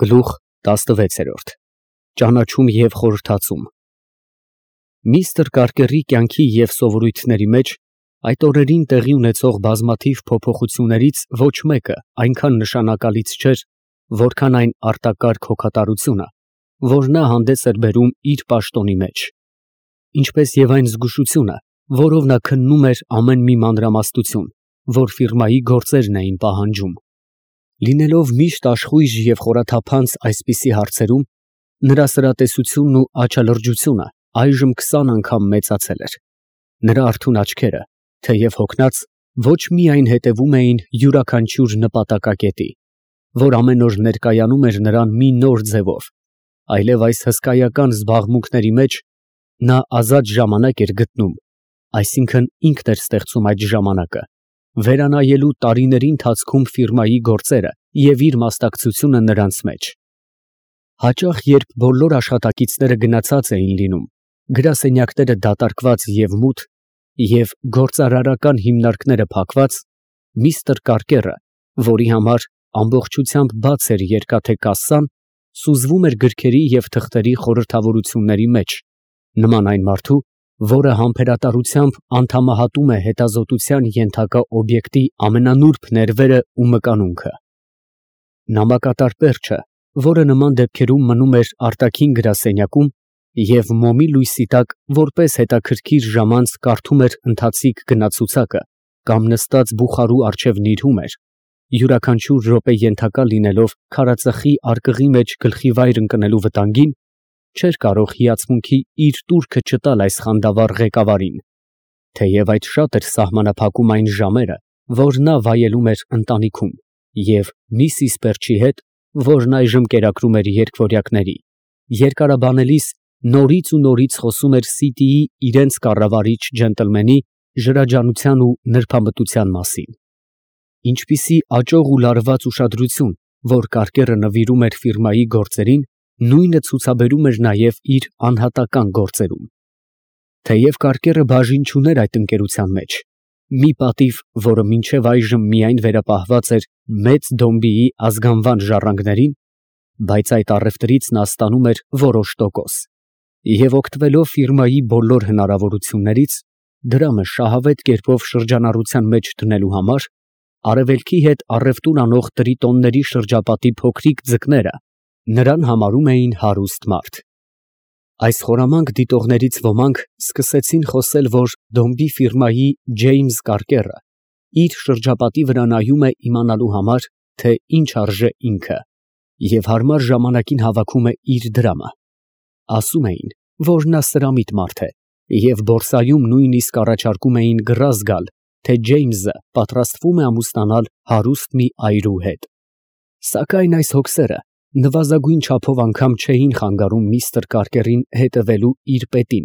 Գլուխ 16 Ճանաչում և խորհրդածում Միստր Կարկերի կյանքի և սովորույթների մեջ այդ օրերին տեղի ունեցող բազմաթիվ փոփոխություններից ոչ մեկը այնքան նշանակալից չէր, որքան այն արտակարգ հոգատարությունը, որ նա հանդես էր բերում իր պաշտոնի մեջ, ինչպես և այն զգուշությունը, որով նա քննում էր ամեն մի մանրամասնություն, որ ֆիրմայի գործերն էին պահանջում։ Լինելով միշտ աշխույժ և խորաթափանց այսպիսի հարցերում, նրա սրատեսությունն ու աչալրջությունը այժմ 20 անգամ մեծացել էր։ Նրա արթուն աչքերը, թեև հոգնած, ոչ միայն հետևում էին յուրաքանչյուր նպատակակետի, որ ամեն օր ներկայանում էր նրան մի նոր ձևով, այլև այս հսկայական զբաղմունքների մեջ նա ազատ ժամանակ էր գտնում, այսինքն ինքն էր ստեղծում այդ ժամանակը, վերանայելու տարիների ընթացքում ֆիրմայի գործերը և իր մասնակցությունը նրանց մեջ։ Հաճախ, երբ բոլոր աշխատակիցները գնացած էին լինում, գրասենյակները դատարկված և մութ, և գործարարական հիմնարկները փակված, միստր Կարկերը, որի համար ամբողջությամբ բաց էր երկաթե կասսան, սուզվում էր գրքերի և թղթերի խորհրդավորությունների մեջ, նման այն մարդու, որը համբերատարությամբ անդամահատում է հետազոտության ենթակա օբյեկտի ամենանուրբ ներվերը ու մկանունքը։ Նամակատար պերճը, որը նման դեպքերում մնում էր արտաքին գրասենյակում և մոմի լույսի տակ որպես հետաքրքիր ժամանց կարդում էր ընթացիկ գնացուցակը կամ նստած բուխարու առջև նիրհում էր, յուրաքանչյուր րոպե ենթակա լինելով քարածխի արկղի մեջ գլխիվայր ընկնելու վտանգին, չէր կարող հիացմունքի իր տուրքը չտալ այս խանդավառ ղեկավարին, թեև այդ շատ էր սահմանափակում այն ժամերը, որ նա վայելում էր ընտանիքում և միսիս Պերճի հետ, որն այժմ կերակրում էր երկվորյակների, երկարաբանելիս նորից ու նորից խոսում էր Սիթիի իրենց կառավարիչ ջենտլմենի ժրաջանության ու նրբամտության մասին։ Ինչպիսի աճող ու լարված ուշադրություն, որ Կարկերը նվիրում էր ֆիրմայի գործերին, նույնը ցուցաբերում էր նաև իր անհատական գործերում։ Թեև Կարկերը բաժին չուներ այդ ընկերության մեջ, մի պատիվ, որը մինչև այժմ միայն վերապահված էր Մեծ Դոմբիի ազգանվան ժառանգներին, բայց այդ առևտրից նա ստանում էր որոշ տոկոս, և օգտվելով ֆիրմայի բոլոր հնարավորություններից, դրամը շահավետ կերպով շրջանառության մեջ դնելու համար, արևելքի հետ առևտուր անող տրիտոնների շրջապատի փոքրիկ ձկները նրան համարում էին հարուստ մարդ։ Այս խորամանկ դիտողներից ոմանք սկսեցին խոսել, որ Դոմբի ֆիրմայի Ջեյմս Կարկերը իր շրջապատի վրա նայում է իմանալու համար, թե ինչ արժե ինքը, և հարմար ժամանակին հավաքում է իր դրամը։ Ասում էին, որ նա սրամիտ մարդ է, և բորսայում նույնիսկ առաջարկում էին գրազ գալ, թե Ջեյմսը պատրաստվում է ամուսնանալ հարուստ մի այրու հետ։ Սակայն այս հոգսերը նվազագույն չափով անգամ չէին խանգարում միստր Կարկերին հետևելու իր պետին,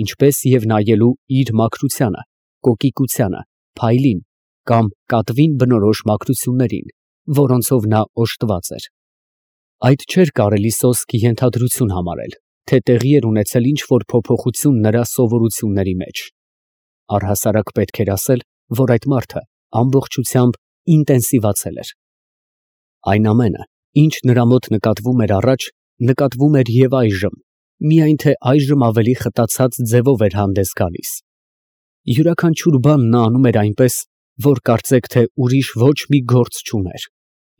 ինչպես և նայելու իր մաքրությանը, կոկիկությանը, փայլին կամ կատվին բնորոշ մաքրություններին, որոնցով նա օժտված էր։ Այդ չէր կարելի սոսկ ենթադրություն համարել, թե տեղի էր ունեցել ինչ-որ փոփոխություն նրա սովորությունների մեջ։ Առհասարակ պետք էր ասել, որ այդ մարդը ամբողջությամբ ինտենսիվացել էր։ Այն ամենը, ինչ նրա մոտ նկատվում էր առաջ, նկատվում էր և այժմ, միայն թե այժմ ավելի խտացած ձևով էր հանդես գալիս։ Յուրաքանչյուր բան նա անում էր այնպես, որ կարծեք, թե ուրիշ ոչ մի գործ չուներ,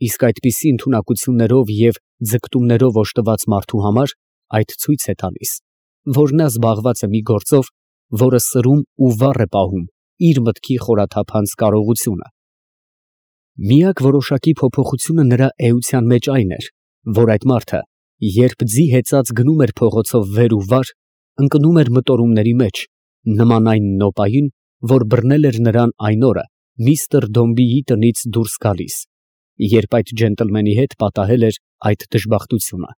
իսկ այդպիսի ընդունակություններով և ձգտումներով օժտված մարդու համար այդ ցույց է տալիս, որ նա զբաղված է մի գործով, որը սրում ու վառ է պահում իր մտքի խորաթափանց կարողությունը։ Միակ որոշակի փոփոխությունը նրա էության մեջ այն էր, որ այդ մարդը, երբ ձի հեծած գնում էր փողոցով վեր ու վար, ընկնում էր մտորումների մեջ, նման այն նոպային, որ բռնել էր նրան այն օրը միստր Դոմբիի տնից դուրս գալիս, երբ այդ ջենտլմենի հետ պատահել էր այդ դժբախտությունը։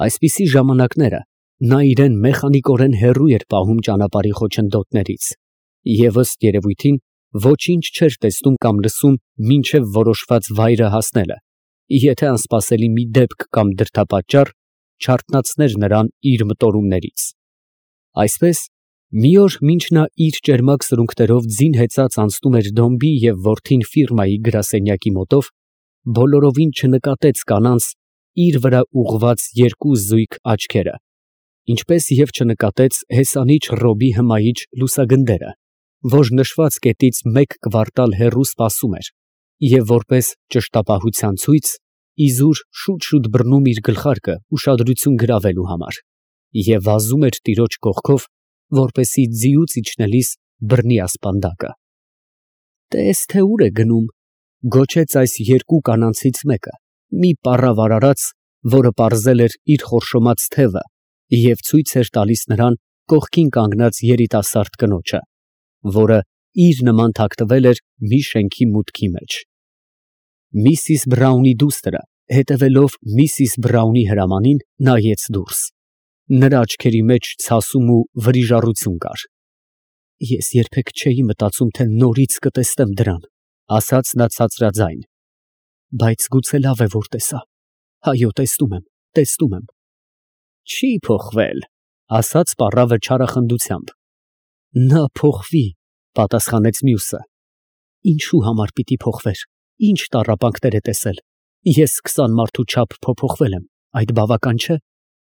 Այսպիսի ժամանակները նա իրան մեխանիկորեն հեռու էր պահում ճանապարհի խոչընդոտներից և ըստ երևույթին ոչինչ չէր տեսնում կամ լսում մինչև որոշված վայրը հասնելը, եթե անսպասելի մի դեպք կամ դրդապատճառ չարթնացներ նրան իր մտորումներից։ Այսպես, մի օր, մինչ նա իր ճերմակ սրունքներով ձին հեծած անցնում էր Դոմբի և որդին ֆիրմայի գրասենյակի մոտով, բոլորովին չնկատեց կանանց, իր վրա ուղղված երկու զույգ աչքերը, ինչպես և չնկատեց հեսանիչ Ռոբի հմայիչ լուսագնդերը, որ նշված կետից 1 կվարտալ հեռու սպասում էր և որպես ճշտապահության ցույց իզուր շուտ բռնում իր գլխարկը ուշադրություն գրավելու համար և վազում էր տիրոջ կողքով, որպեսզի ձիուց իջնելիս բռնի ասպանդակը։ «Տես թե ուր է գնում», գոչեց այս երկու կանանցից մեկը, մի պառավ արարած, որը պարզել էր իր խորշոմած թևը և ցույց էր տալիս նրան կողքին կանգնած երիտասարդ կնոջը, որը իր նման թաքնվել էր մի շենքի մուտքի մեջ։ Միսիս Բրաունի դուստրը, հետևելով միսիս Բրաունի հրամանին, նայեց դուրս։ Նրա աչքերի մեջ ցասում ու վրիժառություն կար։ «Ես երբեք չէի մտածում, թե նորից կտեսնեմ դրան», ասաց նա ցածրաձայն, «բայց գուցե լավ է, որ տեսա։ Այո, տեսնում եմ։ Չի փոխվել», ասաց պառավը չարախնդությամբ։ «Նա փոխվի», պատասխանեց մյուսը։ «Ինչու համար պիտի փոխվեր, ինչ տառապանքներ է տեսել։ Ես 20 մարդու չափ փոփոխվել եմ, այդ բավական չէ»։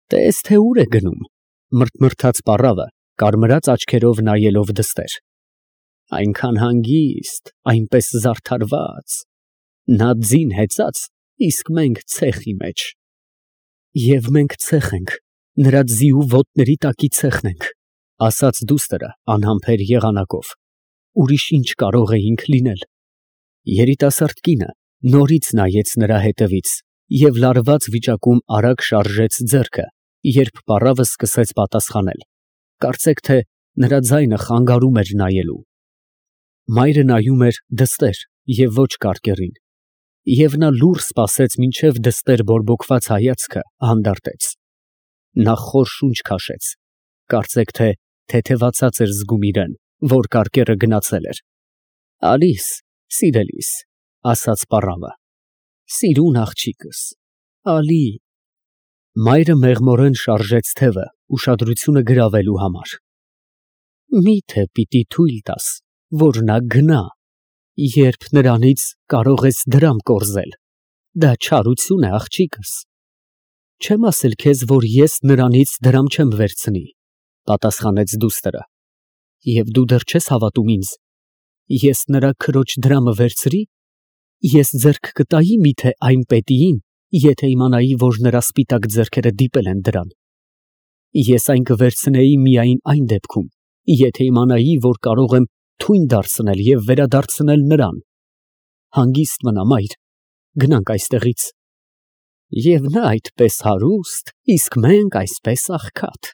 «Տես թե ուր է գնում», մրթմրթաց պառավը, կարմրած աչքերով նայելով դստեր։ «Այնքան հանգիստ, այնպես զարդարված, նա ձին հեծած, իսկ մենք ցեխի մեջ»։ «Եվ մենք ցեխ ենք, նրա ձիու ոտների տակի ցեխն ենք», ասաց դուստրը անհամբեր եղանակով։ «Ուրիշ ինչ կարող էինք լինել»։ Երիտասարդ կինը նորից նայեց նրա հետևից և լարված վիճակում արագ շարժեց ձեռքը, երբ պառավը սկսեց պատասխանել, կարծեք թե նրա ձայնը խանգարում էր նայելու։ Մայրը նայում էր դստեր և ոչ կարկեռին, և նա լուռ սպասեց, մինչև դստեր բորբոքված հայացքը հանդարտեց։ Նա խոր շունչ քաշեց, կարծեք թե թեթևացած էր զգում իրեն, որ կարկեռը գնացել էր։ «Ալիս, սիրելիս», ասաց պառավը, «սիրուն աղջիկս, ալի»։ Մայրը մեղմորեն շարժեց թևը, ուշադրությունը գրավելու համար։ «Մի՞թե պիտի թույլ տաս, որ նա գնա, երբ նրանից կարող ես դրամ կորզել։ Դա չարություն է, աղջիկս»։ «Չեմ ասել քեզ, որ ես նրանից դրամ չեմ վերցնի», պատասխանեց դուստրը։ «Եվ դու դեռ չես հավատում ինձ։ Ես նրա քրոջ դրամը վերցրի, ես ձեռք կտայի մի՞թե այն պետիին, եթե իմանայի, որ նրա սպիտակ ձեռքերը դիպել են դրան։ Ես այն կվերցնեի միայն այն դեպքում, եթե իմանայի, որ կարող եմ թույն դարձնել և վերադարձնել նրան։ Հանգիստ մնա, մայր, գնանք այստեղից»։ «Եվ նա այդպես հարուստ, իսկ մենք այսպես աղքատ»։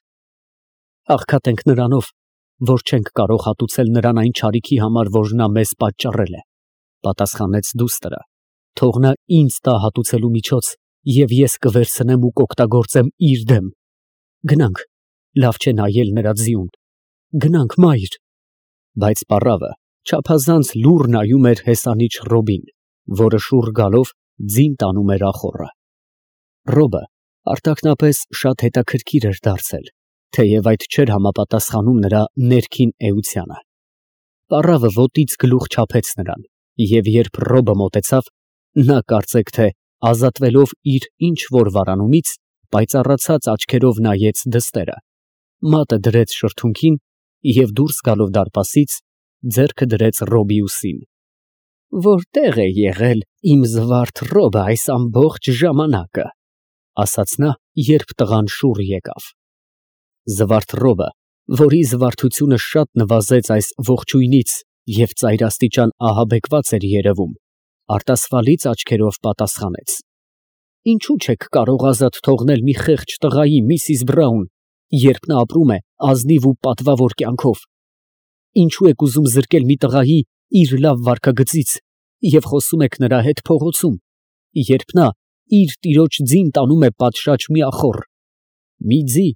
«Աղքատ ենք նրանով, որ չենք կարող հատուցել նրան այն չարիքի համար, որ նա մեզ պատճառել է», պատասխանեց դուստրը։ «Թող նա ինձ տա հատուցելու միջոց, և ես կվերցնեմ ու կօգտագործեմ իր դեմ։ Գնանք, լավ չէ նայել նրա ձիուն։ Գնանք, մայր»։ Բայց պառավը չափազանց լուռ նայում էր հեսանիչ Ռոբին, որը շուռ գալով ձին տանում էր ախոռը։ Ռոբը արտաքնապես շատ հետաքրքիր էր դարձել, թեև այդ չէր համապատասխանում նրա ներքին էությանը։ Պառավը ոտից գլուխ չափեց նրան, և երբ Ռոբը մոտեցավ, նա կարծեք թե ազատվելով իր ինչ որ վարանումից, պայծառացած աչքերով նայեց դստերը, մատը դրեց շրթունքին և դուրս գալով դարպասից, ձեռքը դրեց Ռոբի ուսին։ «Որտե՞ղ է եղել իմ զվարթ Ռոբը այս ամբողջ ժամանակը», ասաց նա, երբ տղան շուռ եկավ։ Զվարթ Ռոբը, որի զվարթությունը շատ նվազեց այս ողջույնից և ծայրաստիճան ահաբեկված էր երևում, արտասվալից աչքերով պատասխանեց. «Ինչու չեք կարող ազատ թողնել մի խեղճ տղայի, միսիս Բրաուն, երբ նա ապրում է ազնիվ ու պատվավոր կյանքով։ Ինչու եք ուզում զրկել մի տղայի իր լավ վարքագծից և խոսում եք նրա հետ փողոցում, երբ նա իր տիրոջ ձին տանում է պատշաճ մի ախոռ, մի ձի,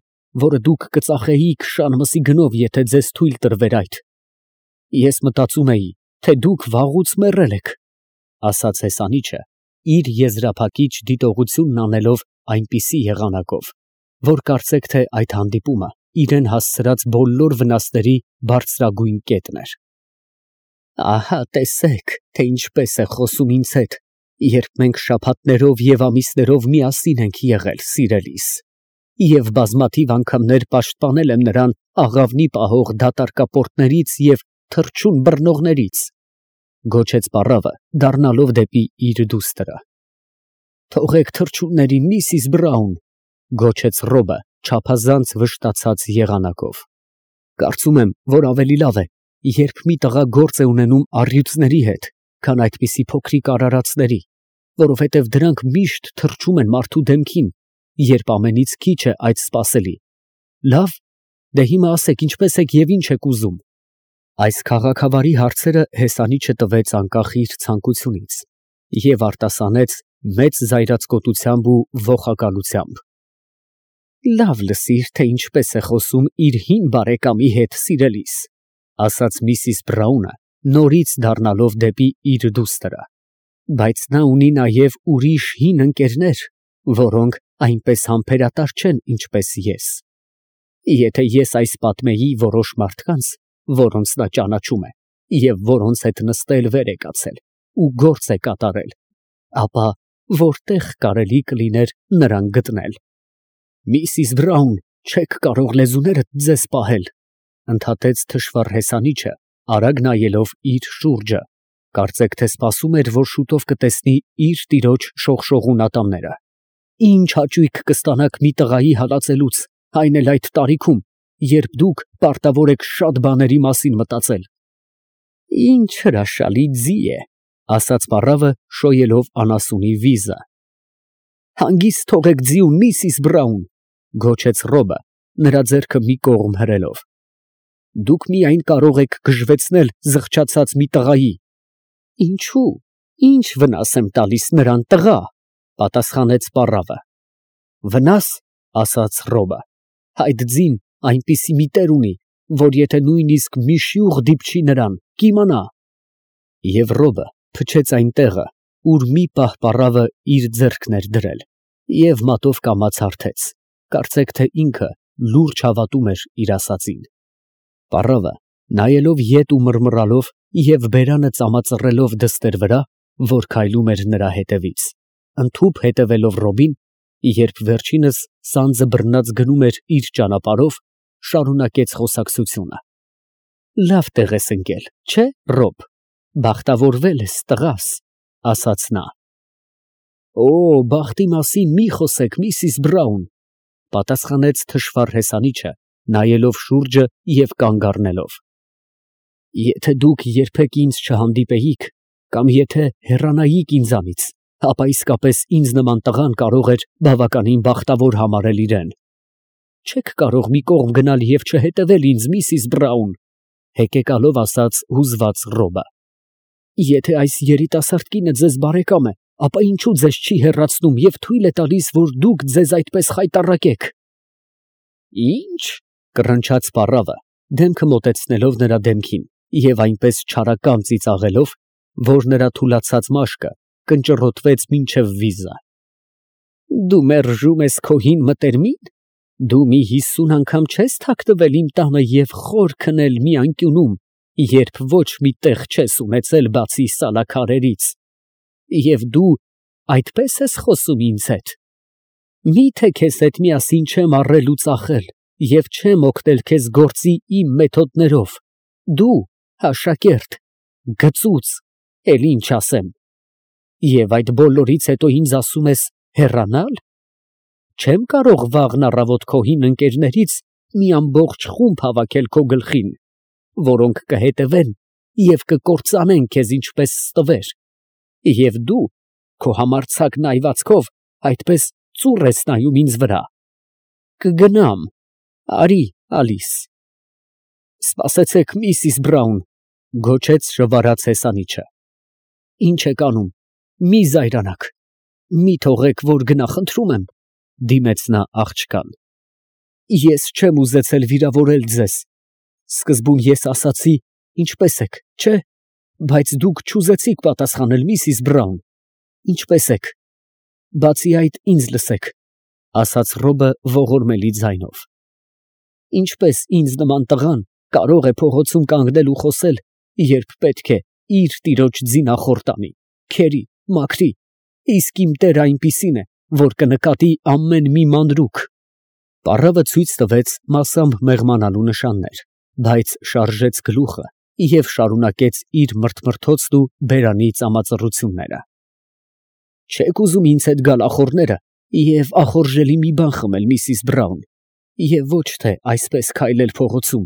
որը դուք կծախեիք շանմսի գնով, եթե ձեզ թույլ տրվեր այդ։ Ես մտածում էի, թե դուք վաղուց մեռել եք», ասաց հեսանիչը, իր եզրափակիչ դիտողությունն անելով այնպիսի եղանակով, որ կարծեք թե այդ հանդիպումը իրան հասցրած բոլոր վնասների բարձրագույն կետն էր։ «Ահա տեսեք, թե ինչպես է խոսում ինձ հետ Երբ մենք շաբաթներով և ամիսներով միասին ենք եղել, սիրելիս, և բազմաթիվ անգամներ պաշտպանել եմ նրան աղավնի պահող դատարկապորտներից և թռչուն բռնողներից, գոչեց պառավը, դառնալով դեպի իր դուստրը։ Թողեք թռչուններին, Միսիս Բրաուն, գոչեց Ռոբը, չափազանց վշտացած եղանակով։ Կարծում եմ, որ ավելի լավ է, երբ մի տղա գործ է ունենում առյուծների հետ, քան այդպիսի փոքրիկ արարածների, որովհետև դրանք միշտ թռչում են մարդու դեմքին, երբ ամենից քիչ է այդ սպասելի։ Լավ, դե հիմա ասեք, ինչպես եք և ինչ եք ուզում։ Այս քաղաքավարի հարցերը հեսանիչը տվեց անկախ իր ցանկությունից և արտասանեց մեծ զայրացկոտությամբ ու ոխակալությամբ։ Լավ լսիր, թե ինչպես է խոսում իր հին բարեկամի հետ, սիրելիս, ասաց Միսիս Բրաունը, նորից դառնալով դեպի իր դուստրը, բայց նա ունի նաև ուրիշ հին ընկերներ, որոնք այնպես համբերատար չեն, ինչպես ես։ Եթե ես այս պատմեի որոշ մարդկանց, որոնց նա ճանաչում է, և որոնց հետ նստել վեր է կացել ու գործ է կատարել, ապա որտեղ կարելի կլիներ նրան գտնել։ Միսիս Բրաուն, չեք կարող լեզուներդ ձեզ պահել, ընդհատեց թշվառ հեսանիչը, արագ նայելով իր շուրջը, կարծեք թե սպասում էր, որ շուտով կտեսնի իր տիրոջ շողշողուն ատամները։ Ինչ հաճույք կստանաք մի տղայի հալածելուց, այն էլ այդ տարիքում, երբ դուք պարտավոր եք շատ բաների մասին մտածել։ Ինչ հրաշալի ձի է, ասաց պառավը, շոյելով անասունի վիզը։ Հանգիստ թողեք ձիուն, Միսիս Բրաուն, գոչեց Ռոբը, նրա ձեռքը մի կողմ հրելով։ Դուք միայն կարող եք գժվեցնել զղջացած մի տղայի։ Ինչու՞, ինչ վնաս եմ տալիս նրան, տղա, պատասխանեց պառավը։ Վնաս, ասաց Ռոբը, այդ ձին այնպիսի մի տեր ունի, որ եթե նույնիսկ մի շյուղ դիպչի նրան, կիմանա։ Եվ Ռոբը փչեց այն տեղը, ուր մի պահ պառավը իր ձեռքն էր դրել, և մատով կամաց հարթեց, կարծեք թե ինքը լուրջ հավատում էր իր ասածին։ Պառավը, նայելով ետ ու մռմռալով և բերանը ծամածռելով դստեր վրա, որ քայլում էր նրա հետևից, ընդհուպ հետևելով Ռոբին, երբ վերջինս սանձը բռնած գնում էր իր ճանապարհով, շարունակեց խոսակցությունը։ Լավ տեղ ես ընկել, չէ, Ռոբ, բախտավորվել ես, տղաս, ասաց նա։ Օ, բախտի մասին մի խոսեք, Միսիս Բրաուն, պատասխանեց թշվառ հեսանիչը, նայելով շուրջը և կանգ առնելով։ Եթե դուք երբեք ինձ չհանդիպեիք, կամ եթե հեռանայիք ինձանից, ապա իսկապես ինձ նման տղան կարող էր բավականին բախտավոր համարել իրեն։ Չեք կարող մի կողմ գնալ և չհետևել ինձ, Միսիս Բրաուն, հեկեկալով ասաց հուզված Ռոբը։ Եթե այս երիտասարդ կինը ձեզ բարեկամ է, ապա ինչու ձեզ չի հեռացնում և թույլ է տալիս, որ դուք ձեզ այդպես խայտառակեք։ Ինչ, կռնչաց պառավը, դեմքը մոտեցնելով նրա դեմքին և այնպես չարական ծիծաղելով, որ նրա թուլացած մաշկը կնճռոտվեց մինչև վիզը։ Դու մերժում ես քո հին մտերմին։ Դու մի 50 անգամ չես թաքնվել իմ տանը և խոր քնել մի անկյունում, երբ ոչ մի տեղ չես ունեցել բացի սալաքարերից, և դու այդպես ես խոսում ինձ հետ։ Մի՞թե քեզ հետ միասին չեմ առել ու ծախել և չեմ օգնել քեզ գործի իմ մեթոդներով, դու, աշակերտ, գծուծ, էլ ինչ ասեմ։ Եվ այդ բոլորից հետո ինձ ասում ես հեռանալ։ Չեմ կարող վաղն առավոտ քո հին ընկերներից մի ամբողջ խումբ հավաքել քո գլխին, որոնք կհետևեն և կկործանեն քեզ ինչպես ստվեր, և դու քո համարձակ նայվածքով այդպես ծուռ ես նայում ինձ վրա։ Կգնամ, արի ալիս։ Սպասեցեք, Միսիս Բրաուն, գոչեց շվարած հեսանիչը։ Ինչ եք անում, մի զայրանաք, մի թողեք, որ գնա, խնդրում եմ, դիմեց նա աղջկան։ Ես չեմ ուզեցել վիրավորել ձեզ։ Սկզբում ես ասացի, ինչպես եք, չէ, բայց դուք չուզեցիք պատասխանել, Միսիս Բրաուն։ Ինչպես եք։ Բացի այդ, ինձ լսեք, ասաց Ռոբը ողորմելի ձայնով։ Ինչպես ինձ նման տղան կարող է փողոցում կանգնել ու խոսել, երբ պետք է իր տիրոջ ձինախորտանի, քերի, մաքրի Իսկ իմ տերը այնպիսին է, որ կնկատի ամեն մի մանրուք։ Պառավը ցույց տվեց մասամբ մեղմանալու նշաններ, բայց շարժեց գլուխը և շարունակեց իր մրթմրթոցն ու բերանի ծամածռությունները։ Չե՞ք ուզում ինձ հետ գալ ախոռները և ախորժելի մի բան խմել, միսիս Բրաուն, և ոչ թե այսպես քայլել փողոցում,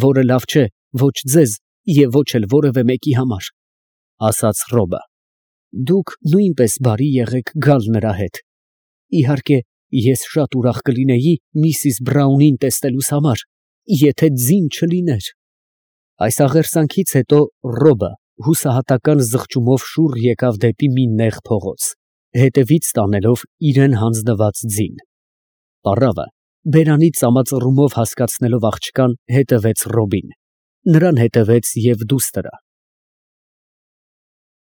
որը լավ չէ ոչ ձեզ և ոչ էլ որևէ մեկի համար, ֊ ասաց Ռոբը։ Դուք նույնպես բարի եղեք գալ նրա հետ. իհարկե, ես շատ ուրախ կլինեի միսիս Բրաունին տեսնելուս համար, եթե ձին չլիներ։ Այս աղերսանքից հետո Ռոբը հուսահատական զղջումով շուռ եկավ դեպի մի նեղ փողոց, հետևից տանելով իրան հանձնված ձին։ Պառավը բերանի ծամածռումով հասկացնելով աղջկան, հետևեց Ռոբին. նրան հետևեց և դուստրը։